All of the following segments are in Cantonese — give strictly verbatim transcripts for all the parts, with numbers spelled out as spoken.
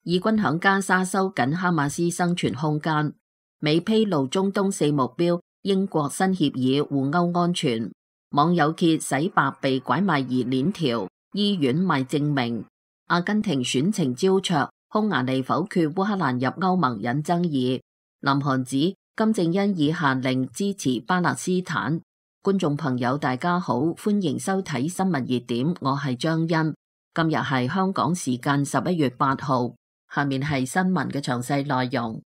以軍響加沙收緊哈馬斯生存空間。美披露中東四目標，英國新協議互歐安全。網友揭洗白被拐賣疑鏈條，醫院賣證明。阿根廷選情焦灼，匈牙利否決烏克蘭入歐盟引爭議。南韓指金正恩已下令支持巴勒斯坦。觀眾朋友大家好，歡迎收睇新聞熱點，我係張欣。今日係香港時間十一月八號，下面係新聞嘅詳細內容。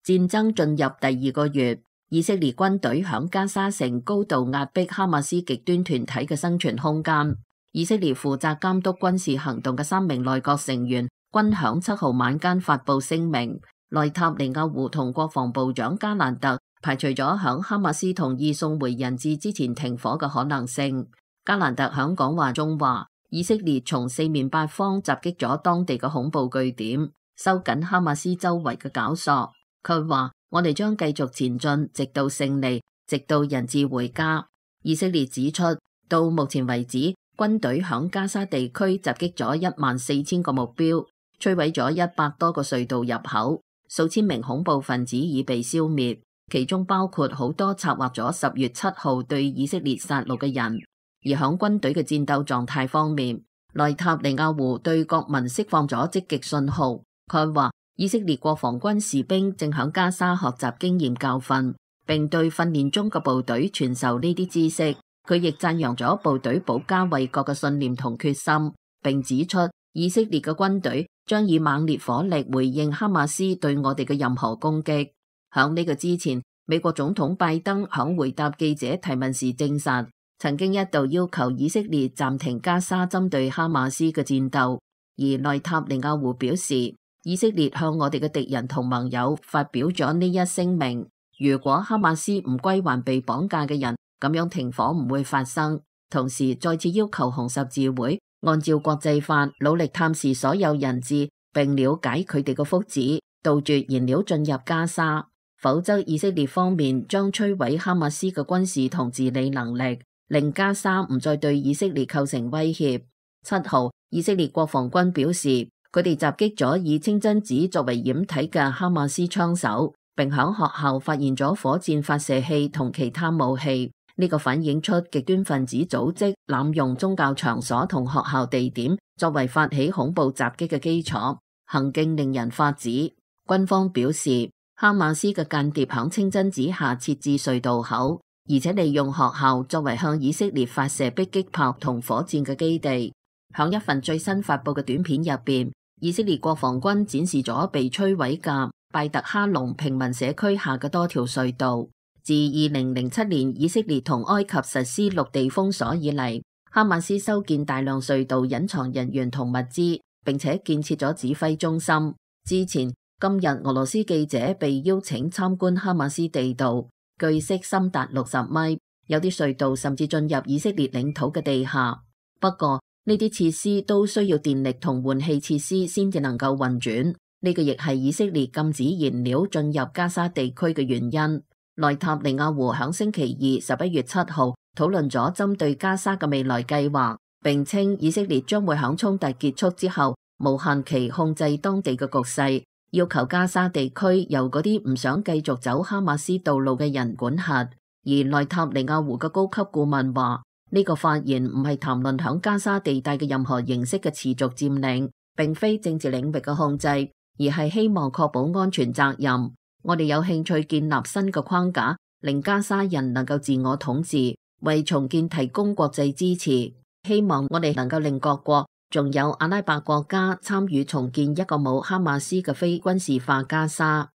戰爭進入第二個月，以色列軍隊響加沙城高度壓迫哈馬斯極端團體嘅生存空間。以色列負責監督軍事行動嘅三名內閣成員均響七號晚間發布聲明，內塔尼亞胡同國防部長加蘭特排除咗響哈馬斯同意送回人質之前停火嘅可能性。加蘭特響講話中話，以色列從四面八方襲擊咗當地嘅恐怖據點，收緊哈馬斯周圍嘅絞索。佢話：我哋將繼續前進，直到勝利，直到人質回家。以色列指出，到目前為止，軍隊響加沙地區襲擊咗一萬四千個目標，摧毀咗一百多個隧道入口，數千名恐怖分子已被消滅，其中包括好多策劃咗十月七號對以色列殺戮嘅人。而響軍隊嘅戰鬥狀態方面，內塔尼亞胡對國民釋放咗積極信號。佢話：以色列國防軍士兵正響加沙學習經驗教訓，並對訓練中嘅部隊傳授呢啲知識。佢亦讚揚咗部隊保家衛國嘅信念同決心，並指出以色列嘅軍隊將以猛烈火力回應哈馬斯對我哋嘅任何攻擊。響呢個之前，美國總統拜登響回答記者提問時證實，曾經一度要求以色列暫停加沙針對哈馬斯嘅戰鬥。而內塔尼亞胡表示，以色列向我哋嘅敵人同盟友發表咗呢一聲明，如果哈馬斯唔歸還被綁架嘅人，咁樣停火唔會發生。同時再次要求紅十字會按照國際法努力探視所有人質，並了解佢哋嘅福祉，杜絕燃料進入加沙，否則以色列方面將摧毀哈馬斯嘅軍事同治理能力，令加沙唔再對以色列構成威脅。七號，以色列國防軍表示，佢哋襲擊咗以清真寺作為掩體嘅哈馬斯槍手，並響學校發現咗火箭發射器同其他武器。呢個反映出極端分子組織濫用宗教場所同學校地點作為發起恐怖襲擊嘅基礎，行徑令人髮指。軍方表示，哈馬斯嘅間諜響清真寺下設置隧道口，而且利用學校作為向以色列發射迫擊炮同火箭嘅基地。響一份最新發布嘅短片入邊，以色列國防軍展示咗被摧毀嘅拜特哈隆平民社區下嘅多條隧道。自二零零七年以色列同埃及實施陸地封鎖以嚟，哈馬斯修建大量隧道隱藏人員同物資，並且建設咗指揮中心。之前今日俄羅斯記者被邀請參觀哈馬斯地道，據悉深達六十米，有啲隧道甚至進入以色列領土嘅地下。不過呢啲設施都需要電力同換氣設施先至能夠運轉，呢個亦係以色列禁止燃料進入加沙地區嘅原因。內塔尼亞胡響星期二十一月七號討論咗針對加沙嘅未來計劃，並稱以色列將會響衝突結束之後無限期控制當地嘅局勢，要求加沙地區由嗰啲唔想繼續走哈馬斯道路嘅人管轄。而內塔尼亞胡嘅高級顧問話，呢個發言唔係談論響加沙地帶嘅任何形式嘅持續佔領，並非政治領域嘅控制，而係希望確保安全責任。我哋有興趣建立新嘅框架，令加沙人能夠自我統治，為重建提供國際支持。希望我哋能夠令各國，仲有阿拉伯國家參與重建一個冇哈馬斯嘅非軍事化加沙。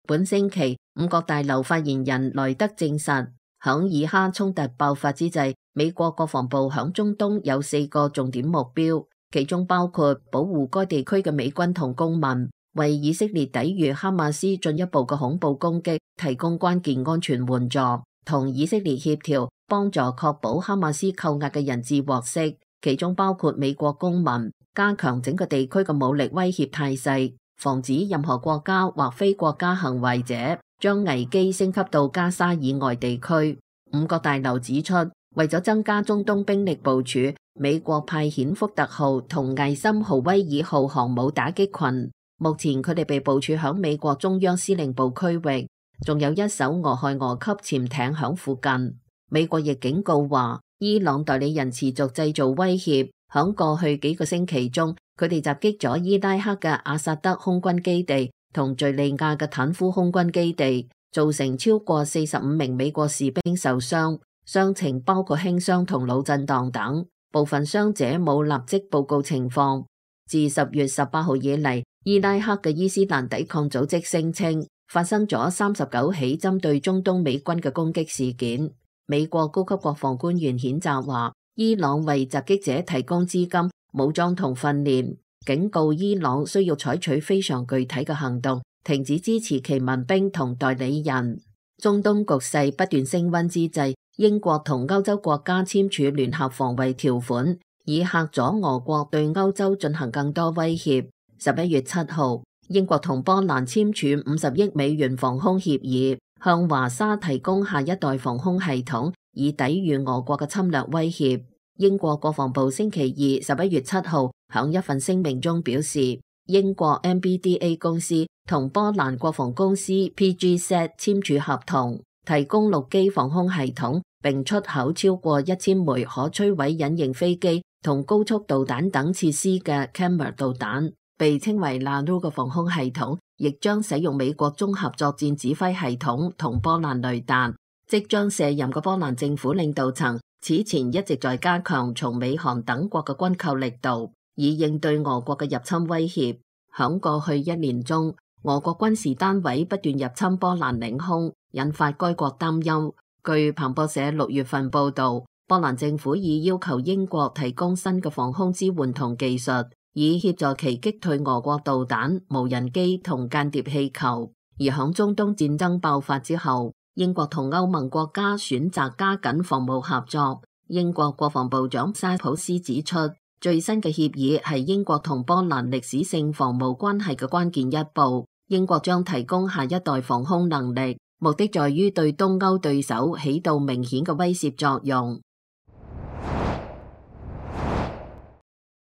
本星期，五角大樓發言人萊德證實，響以哈衝突爆發之際，美國國防部響中東有四個重點目標。其中包括保護該地區嘅美軍同公民，為以色列抵禦哈馬斯進一步嘅恐怖攻擊提供關鍵安全援助，同以色列協調，幫助確保哈馬斯扣押嘅人質獲釋。其中包括美國公民，加強整個地區嘅武力威脅態勢，防止任何國家或非國家行為者將危機升級到加沙以外地區。五角大樓指出，為咗增加中東兵力部署，美國派遣福特號同艾森豪威爾號航母打擊群，目前佢哋被部署響美國中央司令部區域，仲有一艘俄亥俄級潛艇響附近。美國亦警告話，伊朗代理人持續製造威脅，響過去幾個星期中，佢哋襲擊咗伊拉克嘅阿薩德空軍基地同敘利亞嘅坦夫空軍基地，造成超過四十五名美國士兵受傷。傷情包括輕傷同腦震盪等，部分傷者冇立即報告情況。自十月十八號以嚟，伊拉克嘅伊斯蘭抵抗組織聲稱發生咗三十九起針對中東美軍嘅攻擊事件。美國高級國防官員譴責話，伊朗為襲擊者提供資金、武裝同訓練，警告伊朗需要採取非常具體嘅行動，停止支持其民兵同代理人。中東局勢不斷升溫之際，英國同歐洲國家簽署聯合防衛條款，以嚇阻俄國對歐洲進行更多威脅。十一月七號，英國同波蘭簽署五十億美元防空協議，向華沙提供下一代防空系統，以抵禦俄國嘅侵略威脅。英國國防部星期二十一月七號響一份聲明中表示，英國 M B D A 公司同波蘭國防公司 P G Z 簽署合同，提供陸基防空系統，並出口超過一千枚可摧毀隱形飛機同高速導彈等設施嘅 Cammer 導彈，被稱為 Nano 嘅防空系統，亦將使用美國綜合作戰指揮系統同波蘭雷達。即將卸任嘅波蘭政府領導層此前一直在加強從美韓等國嘅軍購力度，以應對俄國嘅入侵威脅。響過去一年中，俄國軍事單位不斷入侵波蘭領空，引發該國擔憂。據彭博社六月份報道，波蘭政府已要求英國提供新嘅防空支援同技術，以協助其擊退俄國導彈、無人機同間諜氣球。而響中東戰爭爆發之後，英國同歐盟國家選擇加緊防務合作。英國國防部長沙普斯指出，最新嘅協議係英國同波蘭歷史性防務關係嘅關鍵一步。英國將提供下一代防空能力，目的在於對東歐對手起到明顯嘅威懾作用。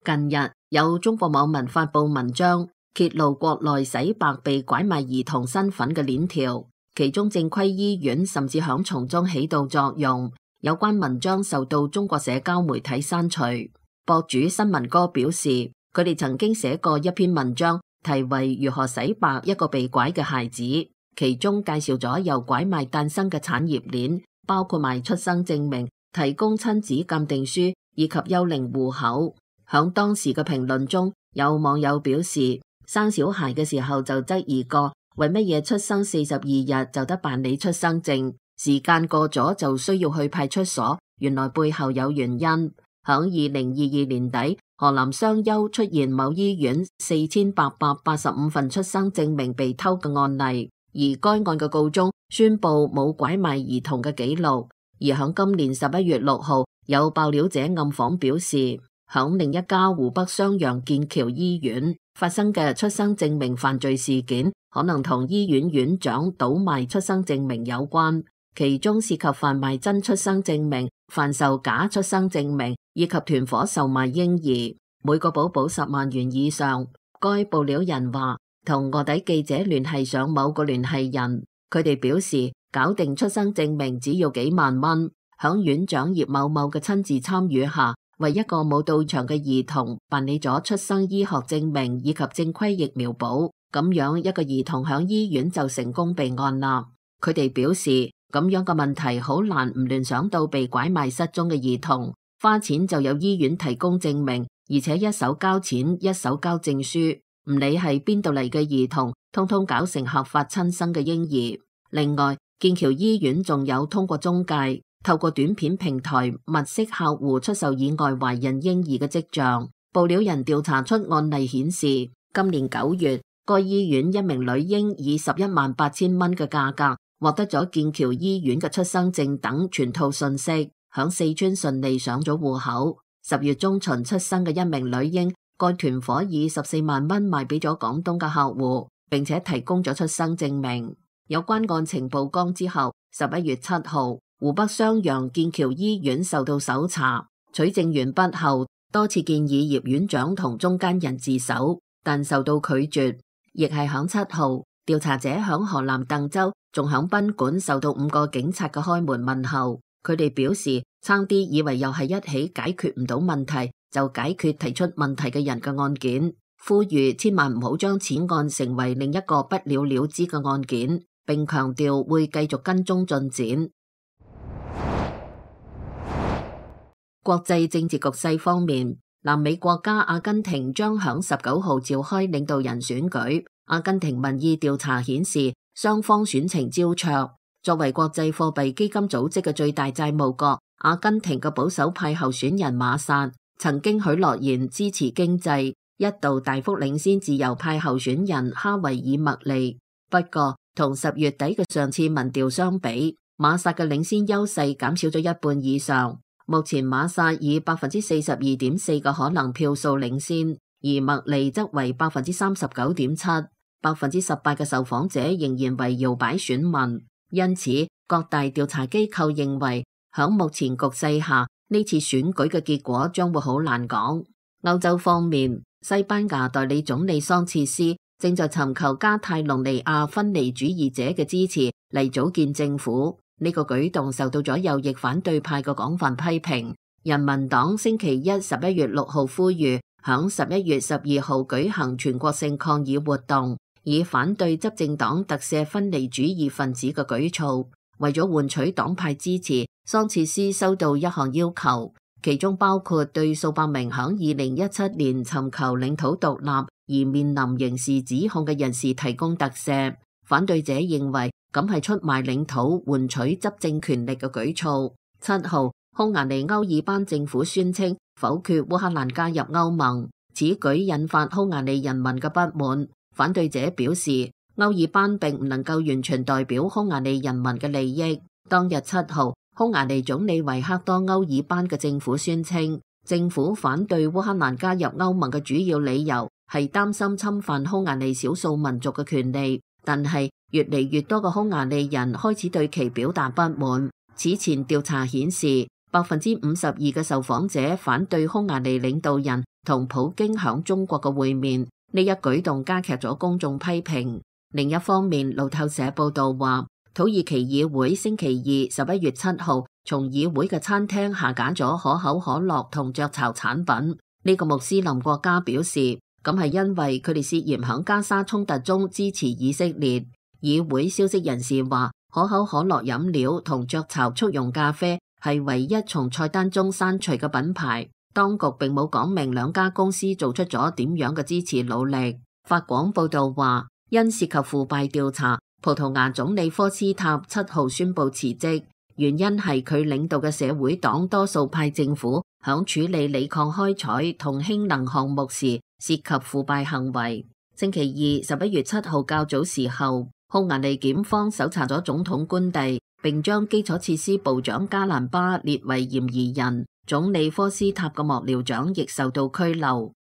近日有中國網民發布文章，揭露國內洗白被拐賣兒童身份嘅鏈條，其中正規醫院甚至響從中起到作用。有關文章受到中國社交媒體刪除。博主新聞哥表示，佢哋曾經寫過一篇文章，題為如何洗白一個被拐嘅孩子，其中介紹咗由拐賣誕生嘅產業鏈，包括賣出生證明、提供親子鑑定書以及幽靈戶口。響當時嘅評論中，有網友表示，生小孩嘅時候就質疑過，為乜嘢出生四十二日就得辦理出生證，時間過咗就需要去派出所，原來背後有原因。響二零二二年底，河南商丘出現某醫院四千八百八十五份出生證明被偷嘅案例，而該案嘅告終宣布冇拐賣兒童嘅記錄。而響今年十一月六號，有爆料者暗訪表示，響另一家湖北襄陽劍橋醫院發生嘅出生證明犯罪事件，可能同醫院院長倒賣出生證明有關，其中涉及販賣真出生證明、販售假出生證明以及團伙售賣嬰兒，每個寶寶十萬元以上。該爆料人話，同臥底記者聯繫上某個聯繫人，佢哋表示搞定出生證明只要幾萬蚊。響院長葉某某嘅親自參與下，為一個冇到場嘅兒童辦理咗出生醫學證明以及正規疫苗保，咁樣一個兒童響醫院就成功被按立。佢哋表示，咁樣嘅問題好難唔聯想到被拐賣失蹤嘅兒童，花錢就有醫院提供證明，而且一手交錢一手交證書，唔理係邊度嚟嘅兒童，通通搞成合法親生嘅嬰兒。另外，劍橋醫院仲有通過中介，透過短片平台物色客戶出售以外懷孕嬰兒嘅跡象。爆料人調查出案例顯示，今年九月，該醫院一名女嬰以十一萬八千蚊嘅價格獲得咗劍橋醫院嘅出生證等全套信息，響四川順利上咗戶口。十月中旬出生嘅一名女嬰，該團伙以十四萬蚊賣俾咗廣東嘅客戶，並且提供咗出生證明。有關案情曝光之後，十一月七號，湖北襄陽劍橋醫院受到搜查，取證完畢後，多次建議葉院長同中間人自首，但受到拒絕。亦係響七號，調查者響河南鄧州仲響賓館受到五個警察嘅開門問候，佢哋表示差啲以為又係一起解決唔到問題就解決提出問題嘅人嘅案件，呼籲千萬唔好將此案成為另一個不了了之嘅案件，並強調會繼續跟蹤進展。國際政治局勢方面，南美國家阿根廷將響十九號召開領導人選舉。阿根廷民意調查顯示，雙方選情焦灼。作為國際貨幣基金組織嘅最大債務國，阿根廷嘅保守派候選人馬薩曾經許諾言支持經濟，一度大幅領先自由派候選人哈維爾麥利。不過，同十月底嘅上次民調相比，馬薩嘅領先優勢減少咗一半以上。目前馬薩以百分之四十二點四嘅可能票數領先，而麥利則為百分之三十九點七，百分之十八嘅受訪者仍然為搖擺選民。因此，各大調查機構認為，響目前局勢下，呢次選舉嘅結果將會好難講。歐洲方面，西班牙代理總理桑切斯正在尋求加泰隆尼亞分離主義者嘅支持嚟組建政府。呢個舉動受到咗右翼反對派嘅廣泛批評。人民黨星期一十一月六號呼籲響十一月十二號舉行全國性抗議活動，以反對執政黨特赦分離主義分子嘅舉措。為咗換取黨派支持，桑切斯收到一項要求，其中包括對數百名響二零一七年尋求領土獨立而面臨刑事指控嘅人士提供特赦。反對者認為咁係出賣領土換取執政權力嘅舉措。七號，匈牙利歐爾班政府宣稱否決烏克蘭加入歐盟，此舉引發匈牙利人民嘅不滿。反對者表示，歐爾班並唔能夠完全代表匈牙利人民嘅利益。當日七號，匈牙利總理維克多歐爾班嘅政府宣稱，政府反對烏克蘭加入歐盟嘅主要理由係擔心侵犯匈牙利少數民族嘅權利。但係越嚟越多嘅匈牙利人開始對其表達不滿。此前調查顯示，百分之五十二嘅受訪者反對匈牙利領導人同普京響中國嘅會面，呢一舉動加劇咗公眾批評。另一方面，路透社報道話，土耳其議會星期二十一月七號從議會嘅餐廳下架咗可口可樂同雀巢產品。呢個穆斯林國家表示，咁係因為佢哋涉嫌響加沙衝突中支持以色列。議會消息人士話，可口可樂飲料同雀巢速溶咖啡係唯一從菜單中刪除嘅品牌。當局並冇講明兩家公司做出咗點樣嘅支持努力。法廣報道話，因涉及腐敗調查，葡萄牙總理科斯塔七號宣布辭職，原因係佢領導嘅社會黨多數派政府響處理鋰礦開採同氫能項目時涉及腐敗行為。星期二十一月七號較早時候，匈牙利檢方搜查咗總統官邸，並將基礎設施部長加蘭巴列為嫌疑人。總理科斯塔嘅幕僚長亦受到拘留。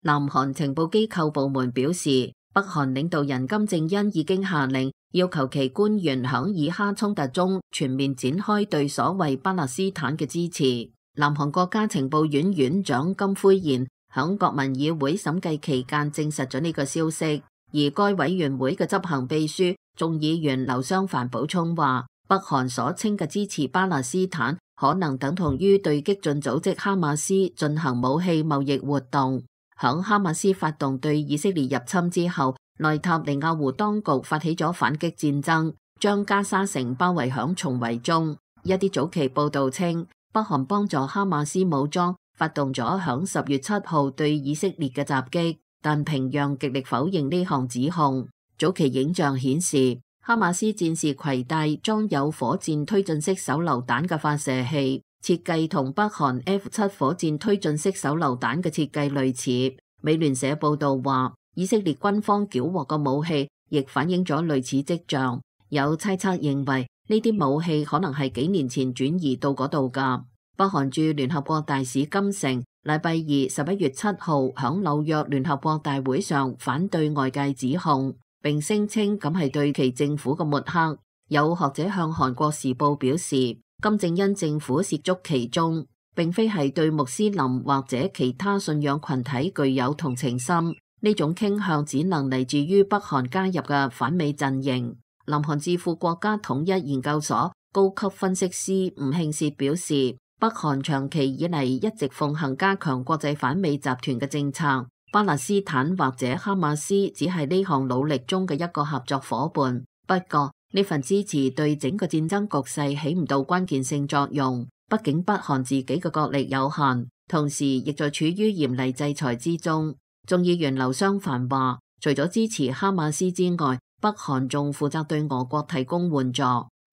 南韓情報機構部門表示，北韓領導人金正恩已經下令要求其官員響以哈衝突中全面展開對所謂巴勒斯坦嘅支持。南韓國家情報院院長金輝賢響國民議會審計期間證實咗呢個消息，而該委員會嘅執行秘書眾議員劉湘凡補充話，北韓所稱嘅支持巴勒斯坦可能等同於對激進組織哈馬斯進行武器貿易活動。響哈馬斯發動對以色列入侵之後，內塔尼亞胡當局發起咗反擊戰爭，將加沙城包圍響重圍中。一啲早期報道稱，北韓幫助哈馬斯武裝發動咗響十月七號對以色列嘅襲擊，但平壤極力否認呢項指控。早期影像顯示，哈馬斯戰士攜帶裝有火箭推進式手榴彈嘅發射器，設計同北韓 F 七火箭推進式手榴彈嘅設計類似。美聯社報道話，以色列軍方繳獲嘅武器亦反映咗類似跡象。有猜測認為呢啲武器可能係幾年前轉移到嗰度㗎。北韓駐聯合國大使金城禮拜二十一月七號響紐約聯合國大會上反對外界指控。並聲稱咁係對其政府嘅抹黑。有學者向韓國時報表示，金正恩政府涉足其中，並非係對穆斯林或者其他信仰群體具有同情心，呢種傾向只能嚟自於北韓加入嘅反美陣營。南韓智庫國家統一研究所高級分析師吳慶薛表示，北韓長期以嚟一直奉行加強國際反美集團嘅政策，巴勒斯坦或者哈馬斯只係呢項努力中嘅一個合作夥伴。不過呢份支持對整個戰爭局勢起唔到關鍵性作用，畢竟北韓自己嘅國力有限，同時亦在處於嚴厲制裁之中。眾議員劉湘凡話，除咗支持哈馬斯之外，北韓仲負責對俄國提供援助。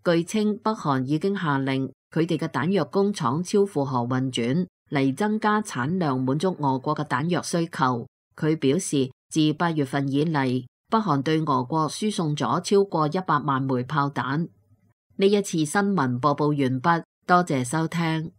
據稱，北韓已經下令佢哋嘅彈藥工廠超負荷運轉，嚟增加產量，滿足俄國嘅彈藥需求。佢表示，自八月份以嚟，北韓對俄國輸送咗超過一百萬枚炮彈。呢一次新聞播報完畢，多謝收聽。